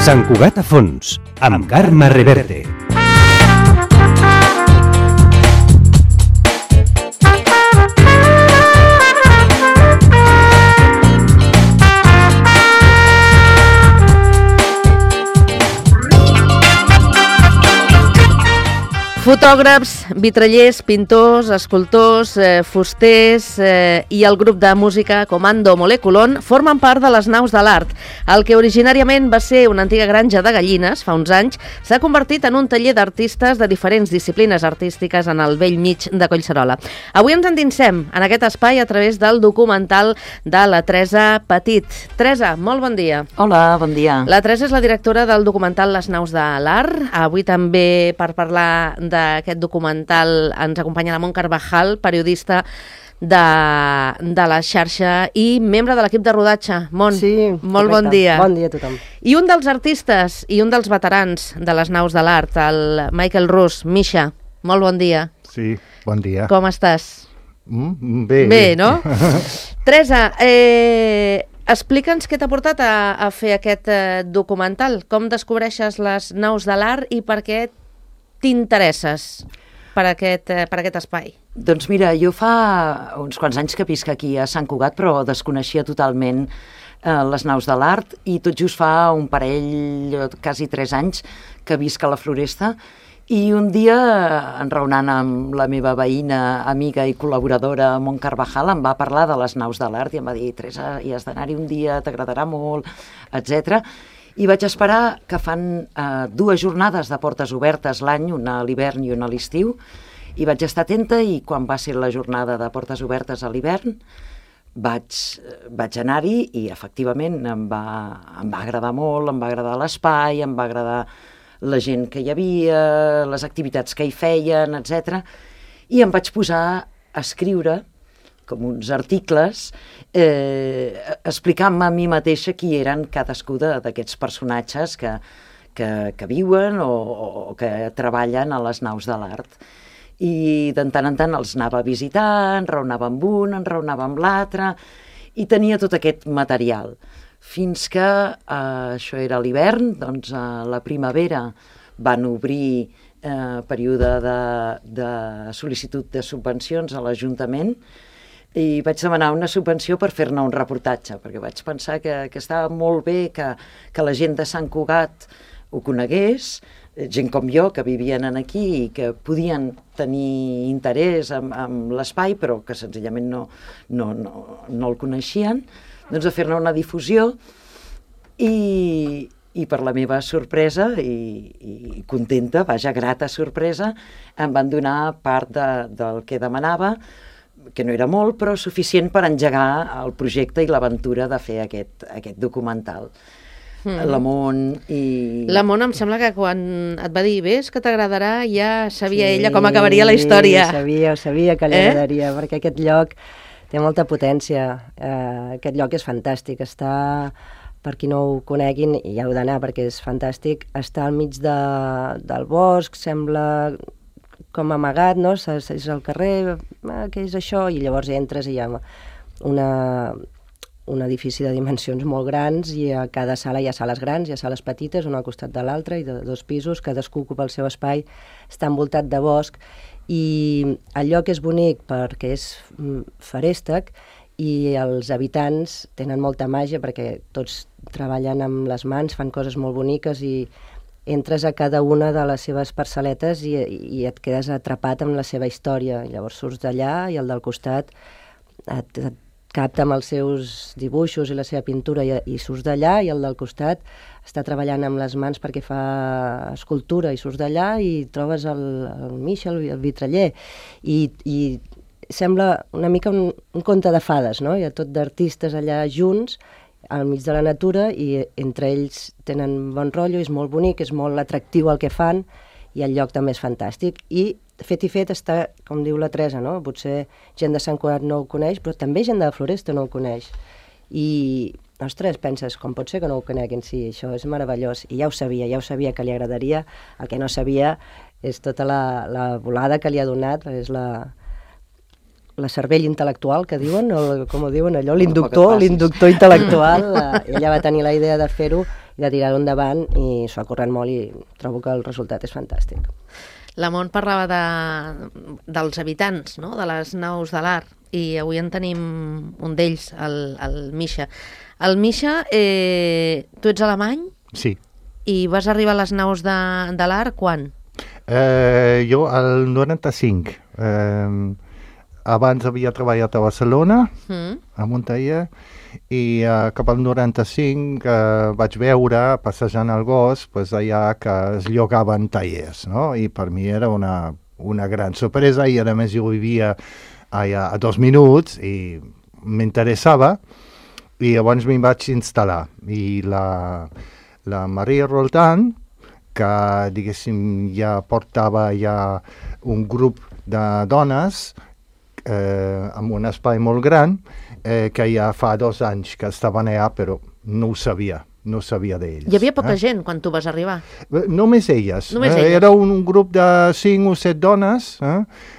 Sant Cugat a fons, amb Carme Reverte. Fotògrafs, vitrallers, pintors, escultors, fusters i el grup de música Comando Moleculon formen part de les naus de l'art. El que originàriament va ser una antiga granja de gallines, fa uns anys, s'ha convertit en un taller d'artistes de diferents disciplines artístiques en el vell mig de Collserola. Avui ens endinsem en aquest espai a través del documental de la Teresa Petit. Teresa, molt bon dia. Hola, bon dia. La Teresa és la directora del documental Les naus de l'art. Avui també per parlar d'aquest documental ens acompanya la Mont Carvajal, periodista de la xarxa i membre de l'equip de rodatge. Mont, sí, molt bon dia. Bon dia a tothom. I un dels artistes i un dels veterans de les naus de l'art, el Michael Rus. Misha, molt bon dia. Sí, bon dia. Com estàs? Bé. Bé, no? Teresa, explica'ns què t'ha portat a fer aquest documental. Com descobreixes les naus de l'art i per què t'interesses per aquest espai? Doncs mira, jo fa uns quants anys que visc aquí a Sant Cugat, però desconeixia totalment les naus de l'art i tot just fa un parell, quasi 3 anys, que visc a la Floresta i un dia, enraonant amb la meva veïna, amiga i col·laboradora Mont Carvajal, em va parlar de les naus de l'art i em va dir: Teresa, hi has d'anar-hi un dia, t'agradarà molt, etc. I vaig esperar que fan 2 jornades de portes obertes l'any, una a l'hivern i una a l'estiu, i vaig estar atenta i quan va ser la jornada de portes obertes a l'hivern vaig anar-hi i efectivament em va agradar molt, em va agradar l'espai, em va agradar la gent que hi havia, les activitats que hi feien, etc. I em vaig posar a escriure com uns articles, explicant-me a mi mateixa qui eren cadascú d'aquests personatges que viuen o que treballen a les naus de l'art. I de tant en tant els anava visitant, enraonava amb un, enraonava amb l'altre, i tenia tot aquest material. Fins que, això era l'hivern, doncs a la primavera van obrir període de sol·licitud de subvencions a l'Ajuntament, i vaig demanar una subvenció per fer-ne un reportatge, perquè vaig pensar que estava molt bé que la gent de Sant Cugat ho conegués, gent com jo, que vivien aquí i que podien tenir interès en l'espai, però que senzillament no el coneixien, doncs de fer-ne una difusió i per la meva sorpresa i contenta, vaja, grata sorpresa, em van donar part del que demanava, que no era molt, però suficient per engegar el projecte i l'aventura de fer aquest documental. La Mont i... La Mont em sembla que quan et va dir ves que t'agradarà, ja sabia ella com acabaria la història. Sí, sabia que li agradaria, perquè aquest lloc té molta potència. Aquest lloc és fantàstic, està, per qui no ho coneguin, i ja heu d'anar perquè és fantàstic, està al mig del bosc, sembla com amagat, no? És al carrer, què és això? I llavors entres i hi ha un edifici de dimensions molt grans i a cada sala hi ha sales grans, hi ha sales petites, una al costat de l'altra i de 2 pisos, cadascú ocupa el seu espai, està envoltat de bosc i el lloc és bonic perquè és feréstec i els habitants tenen molta màgia perquè tots treballen amb les mans, fan coses molt boniques i entres a cada una de les seves parcel·letes i et quedes atrapat amb la seva història. Llavors surts d'allà i el del costat et capta amb els seus dibuixos i la seva pintura i surts d'allà i el del costat està treballant amb les mans perquè fa escultura i surts d'allà i trobes el Misha, el vitraller. I sembla una mica un conte de fades, no? Hi ha tot d'artistes allà junts al mig de la natura i entre ells tenen bon rotllo, és molt bonic, és molt atractiu el que fan i el lloc també és fantàstic i fet i fet està, com diu la Teresa, no? Potser gent de Sant Cugat no ho coneix, però també gent de la Floresta no ho coneix i, ostres, penses, com pot ser que no ho coneguin? Sí, això és meravellós i ja ho sabia que li agradaria, el que no sabia és tota la volada que li ha donat, és la cervell intel·lectual, que diuen, com ho diuen allò, l'inductor intel·lectual. Ella va tenir la idea de fer-ho de tirar-ho endavant, i s'ho ha currat molt i trobo que el resultat és fantàstic. La Mont parlava dels habitants, no?, de les naus de l'Arc, i avui en tenim un d'ells, el Misha. El Misha, tu ets alemany Sí. i vas arribar a les naus de l'Arc quan? Jo al 95. Abans havia treballat a Barcelona, a un taller, i cap al 95 vaig veure, passejant el gos, pues, allà que es llogaven tallers, no? I per mi era una gran sorpresa, i a més jo vivia allà a 2 minuts i m'interessava, i llavors m'hi vaig instal·lar. I la Maria Roldan, que diguéssim ja portava ja un grup de dones amb un espai molt gran, que ja fa 2 anys que estaven allà, però no ho sabia d'ells. Hi havia poca gent quan tu vas arribar? Només elles. Només elles. Era un grup de 5 o 7 dones,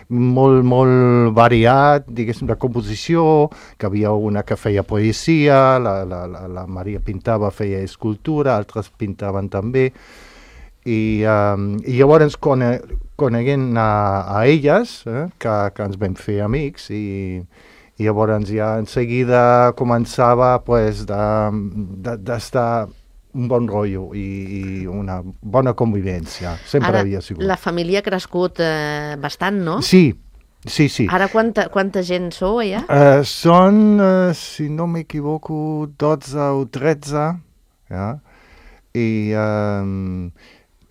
molt variat, diguéssim, de composició, que havia una que feia poesia, la Maria pintava, feia escultura, altres pintaven també, i llavors coneguent a elles, que ens vam fer amics, i llavors ja en seguida començava pues, d'estar un bon rotllo i una bona convivència. Sempre havia sigut. La família ha crescut bastant, no? Sí. Ara quanta gent sou allà? Són, si no m'equivoco, 12 o 13, ja? I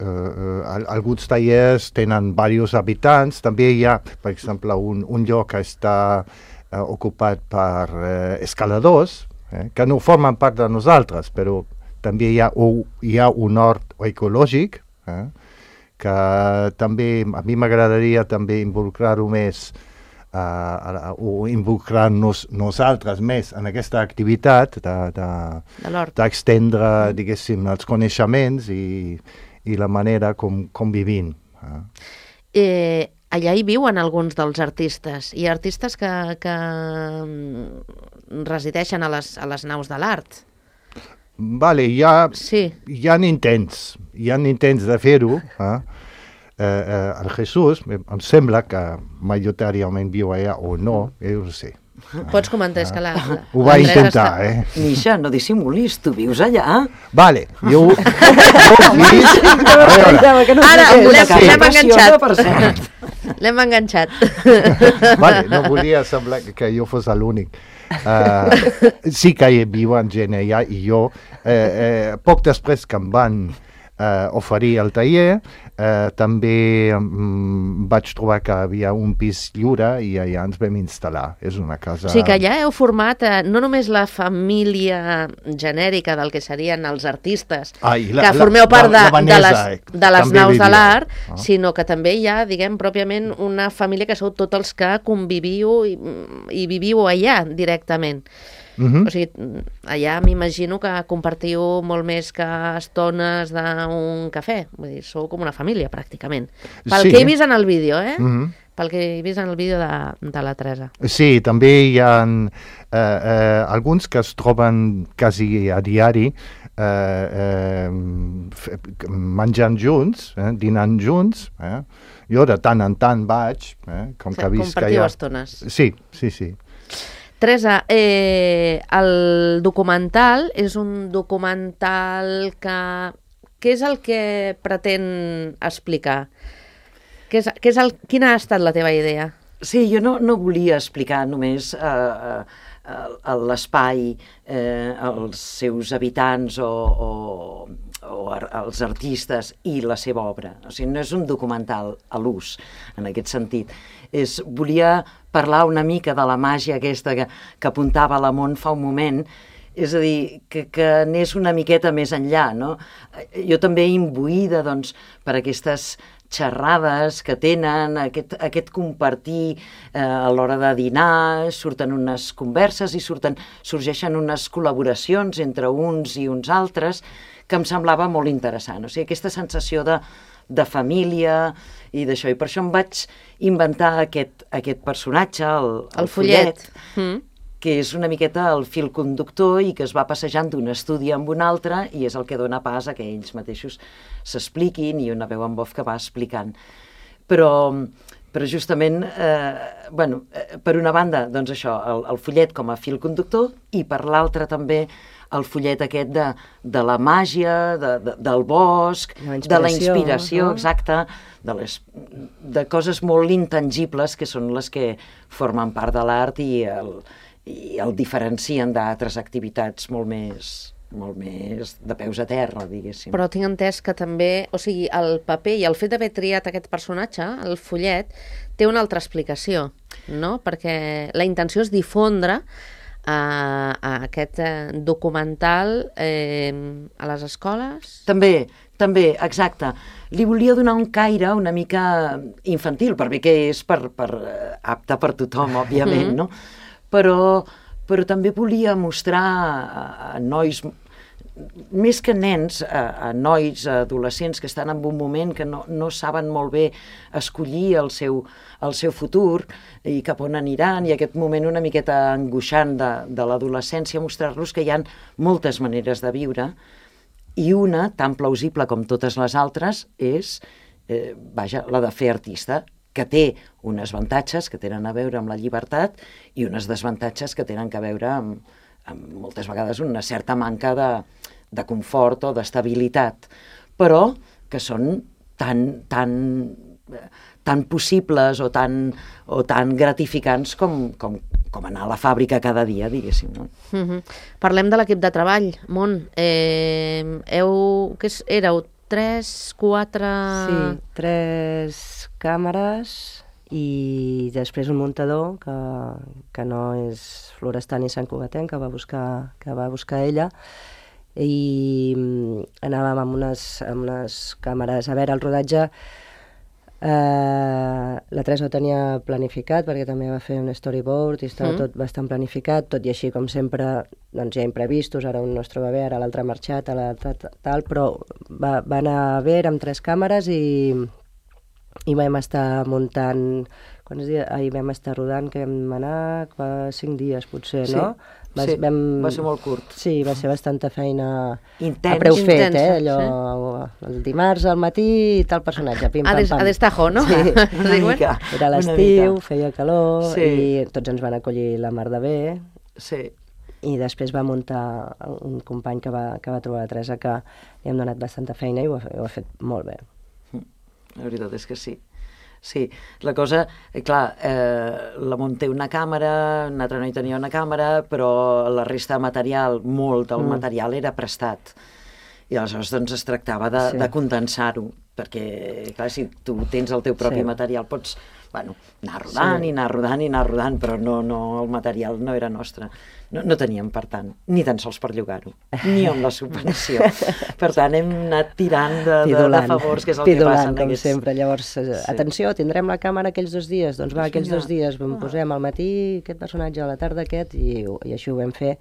alguns tallers tenen diversos habitants. També hi ha, per exemple, un lloc que està ocupat per escaladors, que no formen part de nosaltres, però també hi ha un hort ecològic, que també a mi m'agradaria també involucrar-ho més, o involucrar-nos nosaltres més en aquesta activitat d'extendre, diguéssim, els coneixements i la manera com vivim. Allà hi viuen alguns dels artistes. Hi ha artistes que resideixen a les naus de l'Art. Vale, hi ha intents de fer-ho. El Jesús, em sembla que majoritàriament viu allà o no, jo ho sé. Pots comentar, és que ho va intentar, Misha, no dissimulis, tu vius allà. Vale, jo ho vist. Ara, l'hem enganxat. L'hem enganxat. Vale, no volia semblar que jo fos l'únic. Sí que hi viuen gent allà, i jo, poc després que em van oferir el taller, també vaig trobar que havia un pis lliure i allà ens vam instal·lar. És una casa... O sigui que allà heu format no només la família genèrica del que serien els artistes, que formeu part de les naus de l'Art, sinó que també hi ha, diguem, pròpiament una família que sou tots els que conviviu i viviu allà directament. O sigui, allà m'imagino que compartiu molt més que estones d'un cafè. Vull dir, sou com una família, pràcticament. Pel que he vist en el vídeo, Pel que he vist en el vídeo de la Teresa. Sí, també hi ha alguns que es troben quasi a diari menjant junts, dinant junts. Jo de tant en tant vaig, com que visc allà. Compartiu estones. Sí. Teresa, el documental és un documental que... Què és el que pretén explicar? Quina ha estat la teva idea? Sí, jo no volia explicar només l'espai, els seus habitants o els artistes i la seva obra. O sigui, no és un documental a l'ús, en aquest sentit. Volia parlar una mica de la màgia aquesta que apuntava la Mont fa un moment, és a dir, que anés una miqueta més enllà, no? Jo també imbuïda, doncs, per aquestes xerrades que tenen, aquest compartir a l'hora de dinar, surten unes converses i sorgeixen unes col·laboracions entre uns i uns altres que em semblava molt interessant. O sigui, aquesta sensació de família i d'això. I per això em vaig inventar aquest personatge, el Follet, que és una miqueta el fil conductor i que es va passejant d'un estudi amb un altre i és el que dona pas a que ells mateixos s'expliquin i una veu en off que va explicant. Però justament, per una banda, doncs això, el fullet com a fil conductor i per l'altra també el fullet aquest de la màgia, del bosc, de la inspiració, exacte, de coses molt intangibles que són les que formen part de l'art i el diferencien d'altres activitats molt més de peus a terra, diguéssim. Però tinc entès que també, o sigui, el paper i el fet d'haver triat aquest personatge, el fullet, té una altra explicació, no? Perquè la intenció és difondre a aquest documental a les escoles? També, exacte. Li volia donar un caire una mica infantil, per bé que és apte per tothom, òbviament, no? Però també volia mostrar a nois, més que nens, a nois, a adolescents que estan en un moment que no saben molt bé escollir el seu futur i cap on aniran, i aquest moment una miqueta angoixant de l'adolescència, mostrar-los que hi ha moltes maneres de viure i una, tan plausible com totes les altres, és la de fer artista, que té uns avantatges que tenen a veure amb la llibertat i uns desavantatges que tenen a veure amb moltes vegades una certa manca de confort o d'estabilitat, però que són tan possibles o tan gratificants com anar a la fàbrica cada dia, diguéssim. No? Parlem de l'equip de treball, Mont. Éreu 3, 4... Sí, 3 càmeres i després un muntador que no és florestant ni santcugatenc, que va buscar ella, i anàvem amb unes càmeres. A veure, el rodatge la Teresa ho tenia planificat perquè també va fer un storyboard i estava tot bastant planificat, tot i així, com sempre, doncs hi ha imprevistos, ara un no es troba bé, ara l'altre ha marxat, tal, però va anar bé, érem 3 càmeres i vam estar muntant, quants dies? Ahir vam estar rodant, que vam anar 5 dies potser, no? Va ser molt curt. Sí, va ser bastanta feina intens, a preu fet, allò, el dimarts al matí tal personatge, pim, pam, pam. A destajo, no? Sí, una mica. Era l'estiu, feia calor i tots ens van acollir la mar de bé. Sí. I després va muntar un company que va trobar la Teresa, que li hem donat bastanta feina i ho ha fet molt bé. La veritat és que sí. Sí, la cosa, clar, la Mont té una càmera, un altre noi tenia una càmera, però la resta de material, molt del material era prestat. I aleshores doncs es tractava de condensar-ho, perquè, clar, si tu tens el teu propi material pots, anar rodant, però no, el material no era nostre. No teníem, per tant, ni tan sols per llogar-ho, ni amb la subvenció. Per tant, hem anat tirant de favors, que és el que passa en com sempre. Llavors, atenció, tindrem la càmera aquells 2 dies. Doncs aquells 2 dies posem al matí aquest personatge, a la tarda aquest, i així ho vam fer.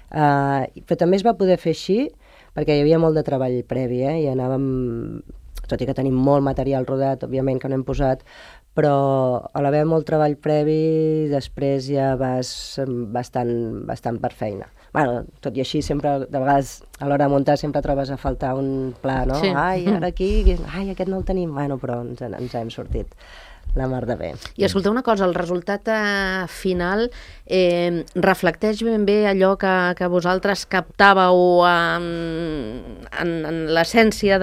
Però també es va poder fer així, perquè hi havia molt de treball previ, i anàvem, tot i que tenim molt material rodat, òbviament que no hem posat, però a l'haver molt treball previ, després ja vas bastant per feina. Tot i així, sempre, de vegades, a l'hora de muntar, sempre trobes a faltar un pla, no? Sí. Ara aquí, aquest no el tenim, però ens hem sortit la mar de bé. I escolta una cosa, el resultat final reflecteix ben bé allò que vosaltres captàveu en l'essència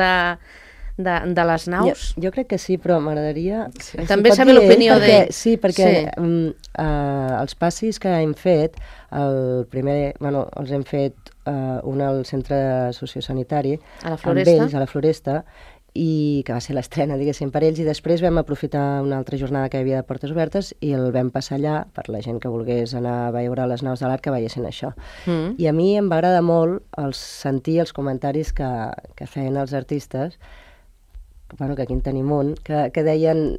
de les naus? Jo crec que sí, però m'agradaria... També saber l'opinió d'ell. Sí, perquè els passis que hem fet, el primer, els hem fet un al centre sociosanitari, a la Floresta, amb ells, a la Floresta, i que va ser l'estrena, diguéssim, per ells, i després vam aprofitar una altra jornada que hi havia de portes obertes i el vam passar allà per la gent que volgués anar a veure les naus de l'art, que veiessin això. I a mi em va agradar molt sentir els comentaris que feien els artistes, que aquí en tenim un, que deien,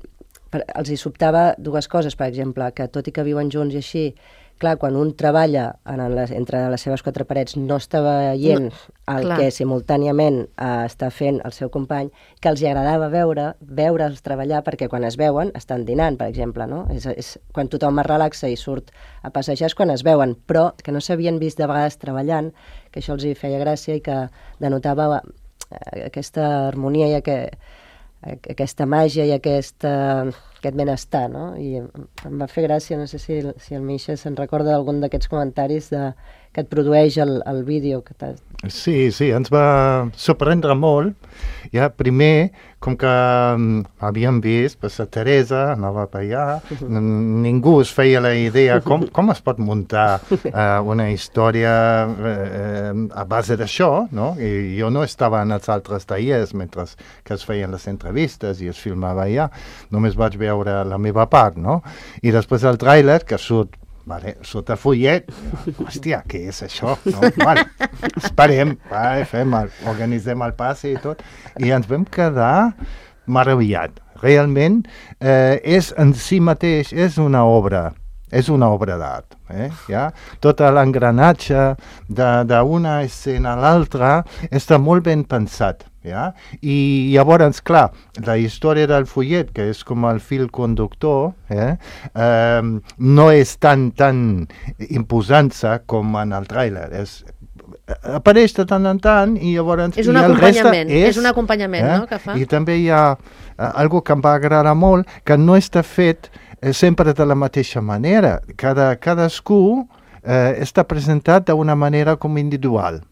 els hi sobtava 2 coses, per exemple, que tot i que viuen junts i així, clar, quan un treballa entre les seves quatre parets no està veient el que simultàniament està fent el seu company, que els agradava veure'ls treballar, perquè quan es veuen estan dinant, per exemple, no? És quan tothom es relaxa i surt a passejar és quan es veuen, però que no s'havien vist de vegades treballant, que això els hi feia gràcia i que denotava aquesta harmonia i aquesta màgia i aquest benestar, no? I em va fer gràcia, no sé si el Misha se'n recorda d'algun d'aquests comentaris que et produeix el vídeo. Sí, ens va sorprendre molt. Ja, primer, com que havíem vist, la Teresa anava per allà, ningú es feia la idea com es pot muntar una història a base d'això, no? I jo no estava en els altres tallers mentre que es feien les entrevistes i es filmava allà, només vaig veure la meva part, no? I després el tràiler, que surt a fullet, hòstia, què és això? No? Vale, esperem, organitzem el pas i tot, i ens vam quedar meravellats. Realment, és en si mateix, és una obra d'art. Ja? Tot l'engranatge d'una escena a l'altra està molt ben pensat. Ja? I llavors, clar, la història del fullet, que és com el fil conductor, no és tan imposant-se com en el tràiler. Apareix de tant en tant i llavors... És un acompanyament, no?, que fa. I també hi ha algo que em va agradar molt, que no està fet sempre de la mateixa manera. Cadascú està presentat d'una manera com individual.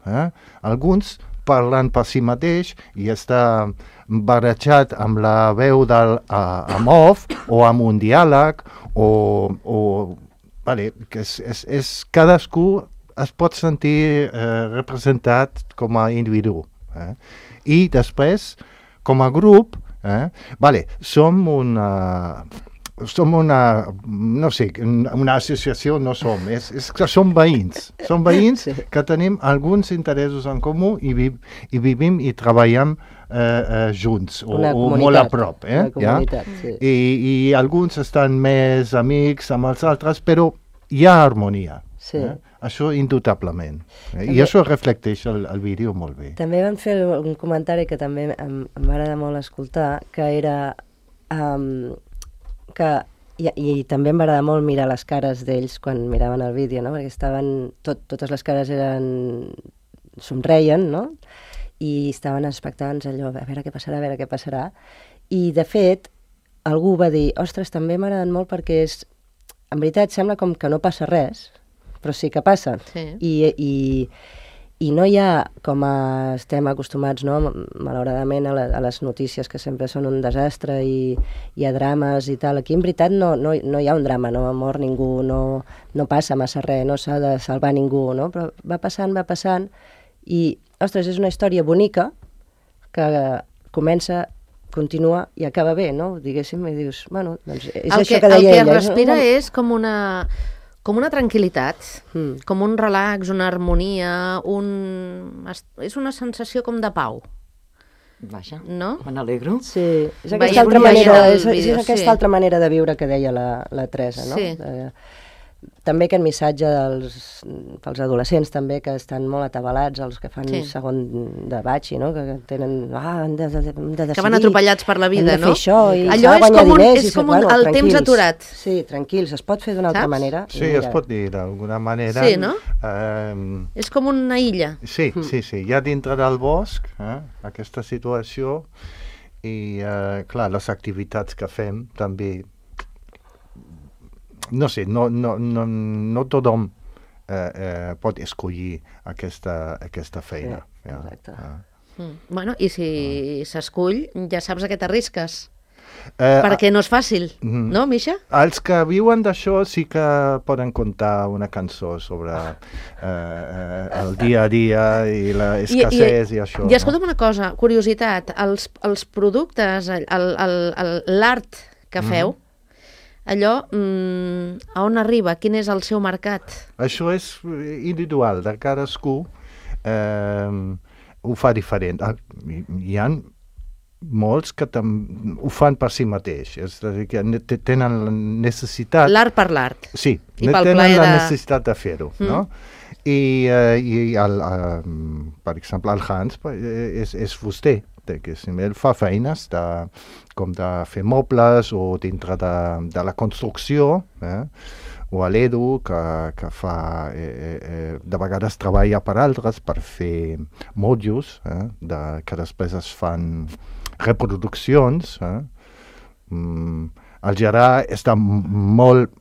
Alguns parlant per si mateix i està barrejat amb la veu amb off o amb un diàleg que cadascú es pot sentir representat com a individu. I després, com a grup, som una associació, no som, és que som veïns que tenim alguns interessos en comú i vivim i treballem junts, o molt a prop. I alguns estan més amics amb els altres, però hi ha harmonia. Això indubtablement. I això reflecteix el vídeo molt bé. També vam fer un comentari que també em va agradar molt escoltar, que era... I també em va agradar molt mirar les cares d'ells quan miraven el vídeo, no? Perquè totes les cares somreien, no? I estaven expectants allò, a veure què passarà. I, de fet, algú va dir, ostres, també m'ha agradat molt perquè en veritat sembla com que no passa res, però sí que passa. Sí. I no hi ha, com estem acostumats, no, malauradament, a les notícies que sempre són un desastre i hi ha drames i tal. Aquí, en veritat, no hi ha un drama, no mor ningú, no passa massa res, no s'ha de salvar ningú, no? Però va passant, i, ostres, és una història bonica que comença, continua i acaba bé, no? Diguéssim, i dius, bueno, doncs és això que deia ella. El que respira és com una tranquil·litat, com un relax, una harmonia, és una sensació com de pau. Vaja, no? Me n'alegro. Sí, és aquesta altra manera de viure que deia la Teresa, no? Sí. També aquest missatge pels adolescents també, que estan molt atabalats, els que fan segon de batxi, no? Que tenen... hem de decidir. Que van atropellats per la vida, no? Hem de fer això i allò guanyar diners. És com el temps aturat. Sí, tranquils, es pot fer d'una altra manera. Sí, es pot dir d'alguna manera. Sí, no? És com una illa. Sí. Hi ha dintre del bosc aquesta situació i, clar, les activitats que fem també... No sé, no tothom pot escollir aquesta feina. Sí, exacte. Bueno, i si s'escull, ja saps a què t'arrisques. Perquè no és fàcil, no, Misha? Els que viuen d'això sí que poden contar una cançó sobre el dia a dia i l'escassez i això. I escolta'm una cosa, curiositat, els productes, l'art que feu, allò, a on arriba? Quin és el seu mercat? Això és individual, de cadascú ho fa diferent. Hi ha molts que ho fan per si mateix, és a dir, que tenen la necessitat... L'art per l'art. Sí, I pel tenen plaer la de- necessitat de fer-ho, no? I per exemple, el Hans és fuster, que ell fa feines com de fer mobles o dintre de la construcció, o a l'Edu, que fa, de vegades treballa per altres per fer motllos, que després es fan reproduccions. El Gerard està molt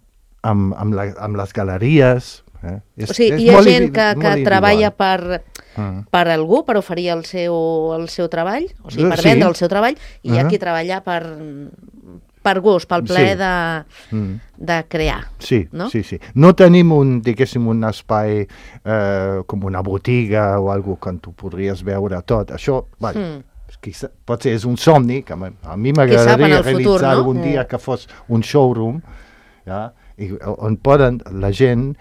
amb les galeries. O sigui, hi ha gent que treballa per algú, per oferir el seu treball, o sigui, per vendre el seu treball, i hi ha qui treballa per gust, pel plaer de crear. Sí, no? sí. No tenim diguéssim, un espai com una botiga o alguna cosa que tu podries veure tot. Això, potser és un somni, que a mi m'agradaria realitzar algun dia que fos un showroom, on poden la gent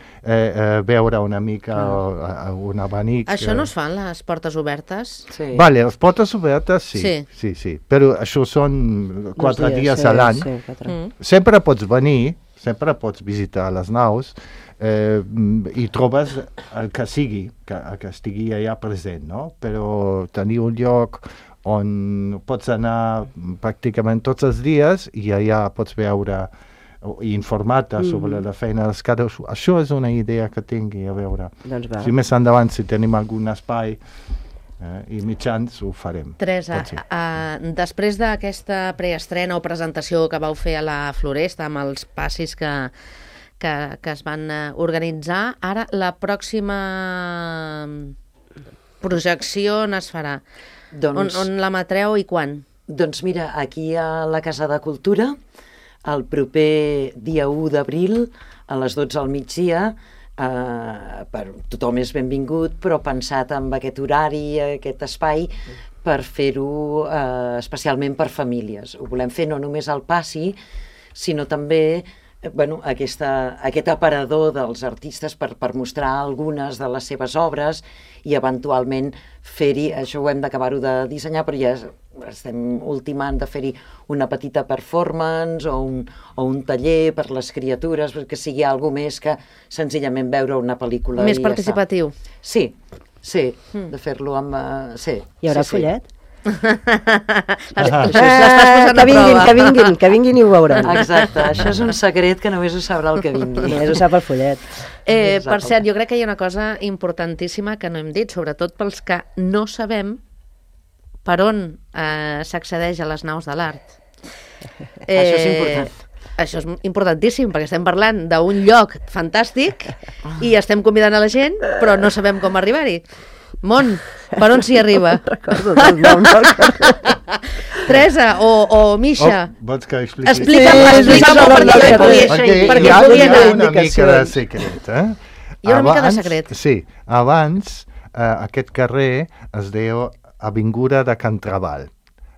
veure una mica un abanic. Això no es fan, les portes obertes? Sí. Vale, les portes obertes sí. Però això són 4 dies a l'any. Sempre pots venir, sempre pots visitar les naus i trobes el que sigui, que estigui allà present, no? Però tenir un lloc on pots anar pràcticament tots els dies i allà pots veure i informar-te sobre la feina dels cadascú. Això és una idea que tingui, a veure. Doncs va. Si més endavant, si tenim algun espai i mitjans, ho farem. Teresa, després d'aquesta preestrena o presentació que vau fer a la Floresta amb els passis que es van organitzar, ara la pròxima projecció on es farà? On l'emetreu i quan? Doncs mira, aquí a la Casa de Cultura, el proper dia 1 d'abril, a les 12 al migdia, tothom és benvingut, però pensat amb aquest horari, aquest espai, per fer-ho especialment per famílies. Ho volem fer no només al passi, sinó també aquest aparador dels artistes per mostrar algunes de les seves obres i eventualment fer-hi, això ho hem d'acabar-ho de dissenyar, però ja estem ultimant de fer-hi una petita performance o un taller per les criatures, que sigui alguna més que senzillament veure una pel·lícula. Més participatiu. Sí, de fer-lo amb... Hi haurà follet? Que vinguin i ho veuran. Exacte, això és un secret que només ho sabrà el que vingui. Només ho sap el follet. Per cert, jo crec que hi ha una cosa importantíssima que no hem dit, sobretot pels que no sabem per on s'accedeix a les naus de l'art. Això és important. Això és importantíssim, perquè estem parlant d'un lloc fantàstic i estem convidant a la gent, però no sabem com arribar-hi. Mon, per on s'hi arriba? Recordo del nom del carrer. Teresa o Misha. Vols que expliqui? Explica'm perquè hi ha pugui anar. una mica de secret, Hi ha una mica de secret. Sí, abans aquest carrer es deia Avinguda de Can Trabal.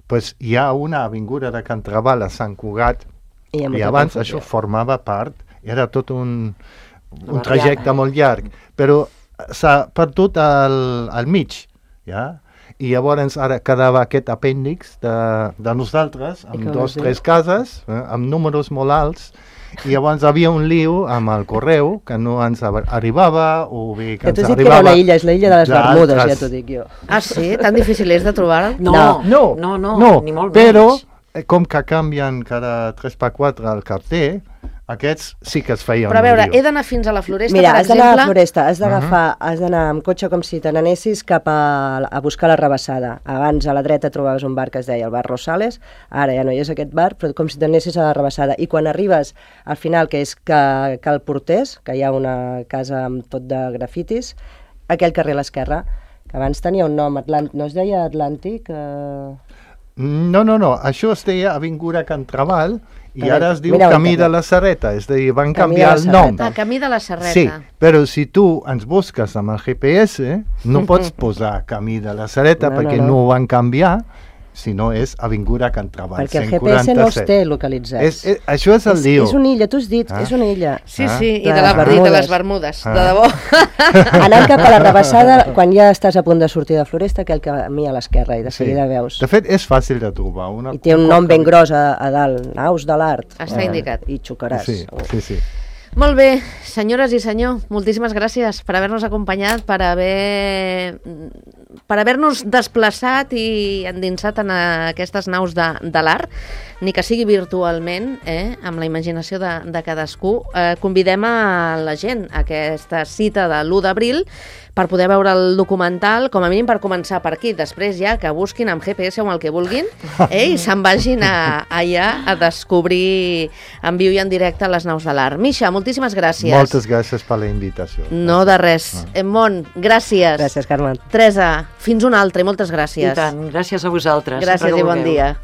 Pues hi ha una avinguda de Can Trabal a Sant Cugat i abans això formava part, era tot un trajecte molt llarg, però s'ha perdut al mig, ja? I llavors ara quedava aquest apèndix de nosaltres, amb 2 o 3 cases, amb números molt alts, i llavors havia un lío amb el correu que no ens arribava, o bé que ens arribava... Ja t'ho dic que era una illa, és la illa de les Bermudes, ja t'ho dic jo. Ah, sí? Tan difícil és de trobar-ho? No, ni molt però, menys. Com que canvien cada 3x4 el carter, aquests sí que es feien però a veure, un lío. he d'anar fins a la Floresta, Mira, per has d'anar a la exemple... Floresta, has d'anar amb cotxe com si te n'anessis cap a buscar la Rabassada. Abans a la dreta trobaves un bar que es deia el bar Rosales, ara ja no hi és aquest bar, però com si t'anessis a la Rabassada. I quan arribes al final, que és Cal Portés, que hi ha una casa amb tot de grafitis, aquell carrer a l'esquerra, que abans tenia un nom, no es deia Atlàntic? No, això es deia Avinguda Can Trabal, i ara es diu Camí de la Serreta, és a dir, van canviar el nom. Camí de la Serreta. Sí, però si tu ens busques amb el GPS, no pots posar Camí de la Serreta perquè no ho van canviar, si no és Avinguda Can Treball, perquè el GPS no els 147. té localitzats. Això és el lío. És una illa, tu has dit, és una illa. Sí, Ah. sí, i De de, les i de Bermudes. les Bermudes, de debò. Anant cap a la Rabassada, quan ja estàs a punt de sortir de Floresta, aquell camí a l'esquerra, i de seguida veus. De fet, és fàcil de trobar. I té un nom ben gros a dalt, Naus de l'Art. Està indicat. I xocaràs. Sí, sí, sí. Molt bé, senyores i senyor, moltíssimes gràcies per haver-nos acompanyat, per haver-nos desplaçat i endinsat en aquestes naus de l'art, ni que sigui virtualment, amb la imaginació de cadascú. Convidem a la gent a aquesta cita de l'1 d'abril per poder veure el documental, com a mínim per començar per aquí. Després ja que busquin amb GPS o amb el que vulguin i se'n vagin allà a descobrir en viu i en directe les naus de l'art. Misha, moltíssimes gràcies. Moltes gràcies per la invitació. No de res. Mont, gràcies. Gràcies, Carme. Teresa, fins una altra i moltes gràcies. I tant, gràcies a vosaltres. Gràcies sempre que i bon vulgueu. dia.